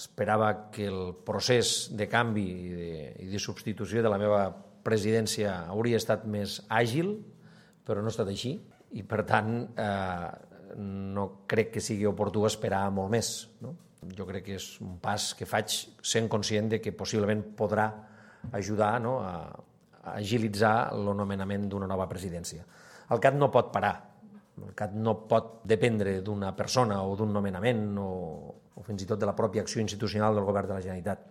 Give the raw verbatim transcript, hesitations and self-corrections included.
esperava que el procés de canvi i de, i de substitució de la meva presidència hauria estat més àgil, però no ha estat així i, per tant, eh, no crec que sigui oportú esperar molt més, no? Jo crec que és un pas que faig sent conscient de que possiblement podrà ajudar, no, a, a agilitzar el nomenament d'una nova presidència. El C A T no pot parar, el C A T no pot dependre d'una persona o d'un nomenament o, o fins i tot de la pròpia acció institucional del govern de la Generalitat.